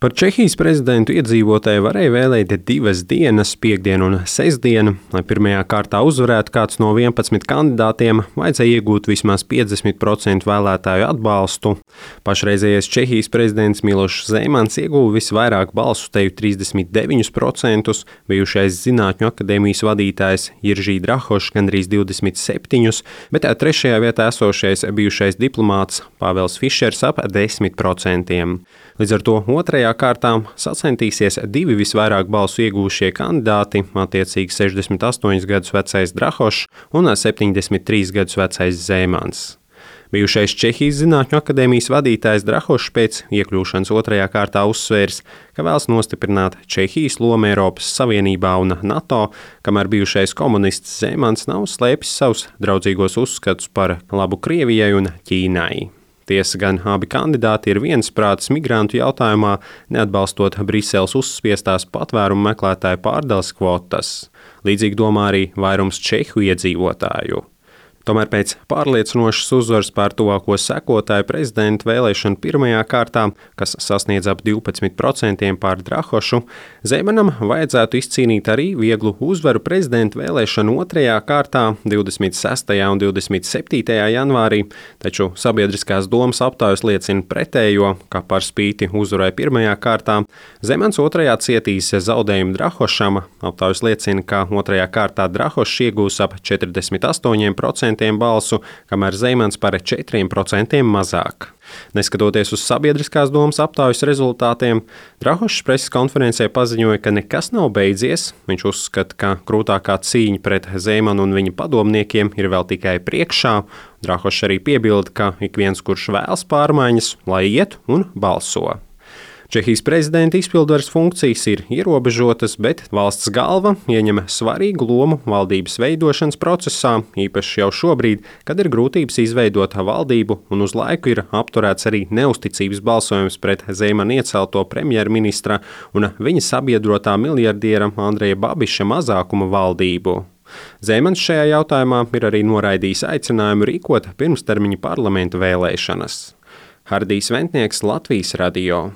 Par Čehijas prezidentu iedzīvotāji varēja vēlēt 2 dienas, piektdienu un sestdienu. Lai pirmajā kārtā uzvarētu kāds no 11 kandidātiem, vajadzēja iegūt vismaz 50% vēlētāju atbalstu. Pašreizējais Čehijas prezidents Milošs Zemans ieguva visvairāk balsu, teju 39%, bijušais Zinātņu akadēmijas vadītājs Jiržī Drahošs gandrīz 27%, bet trešajā vietā esošais bijušais diplomāts Pāvels Fišers ap 10%. Līdz ar to otrajā kārtā sacentīsies 2 visvairāk balsu iegūšie kandidāti, attiecīgi 68 gadus vecais Drahošs un 73 gadus vecais Zemans. Bijušais Čehijas Zinātņu akadēmijas vadītājs Drahošs pēc iekļūšanas otrajā kārtā uzsvērs, ka vēlas nostiprināt Čehijas lomu Eiropas Savienībā un NATO, kamēr bijušais komunists Zemans nav slēpis savus draudzīgos uzskatus par labu Krievijai un Ķīnai. Tiesa gan abi kandidāti ir viensprātis migrantu jautājumā, neatbalstot Briseles uzspiestās patvērumu meklētāju pārdales kvotas. Līdzīgi domā arī vairums čehu iedzīvotāju. Tomēr pēc pārliecinošas uzvaras pār tuvāko sekotāju prezidentu vēlēšanu pirmajā kārtā, kas sasniedz ap 12% pār Drahošu, Zemanam vajadzētu izcīnīt arī vieglu uzvaru prezidentu vēlēšanu otrajā kārtā 26. un 27. janvārī, taču sabiedriskās domas aptaujas liecina pretējo, ka par spīti uzvarai pirmajā kārtā Zemans otrajā cietīs zaudējumu Drahošam. Aptaujas liecina, ka otrajā kārtā Drahošs iegūs ap 48% balsu, kamēr Zemans par 4% mazāk. Neskatoties uz sabiedriskās domas aptaujas rezultātiem, Drahošs preses konferencē paziņoja, ka nekas nav beidzies. Viņš uzskata, ka krūtākā cīņa pret Zemanu un viņa padomniekiem ir vēl tikai priekšā. Drahošs arī piebilda, ka ik viens, kurš vēlas pārmaiņas, lai iet un balso. Čehijas prezidenta izpildvaras funkcijas ir ierobežotas, bet valsts galva ieņem svarīgu lomu valdības veidošanas procesā, īpaši jau šobrīd, kad ir grūtības izveidot valdību un uz laiku ir apturēts arī neusticības balsojums pret Zemana iecelto premjerministra un viņa sabiedrotā miljardiera Andreja Babiša mazākuma valdību. Zemans šajā jautājumā ir arī noraidījis aicinājumu rīkot pirmstermiņa parlamentu vēlēšanas. Hardijs Ventnieks, Latvijas radio.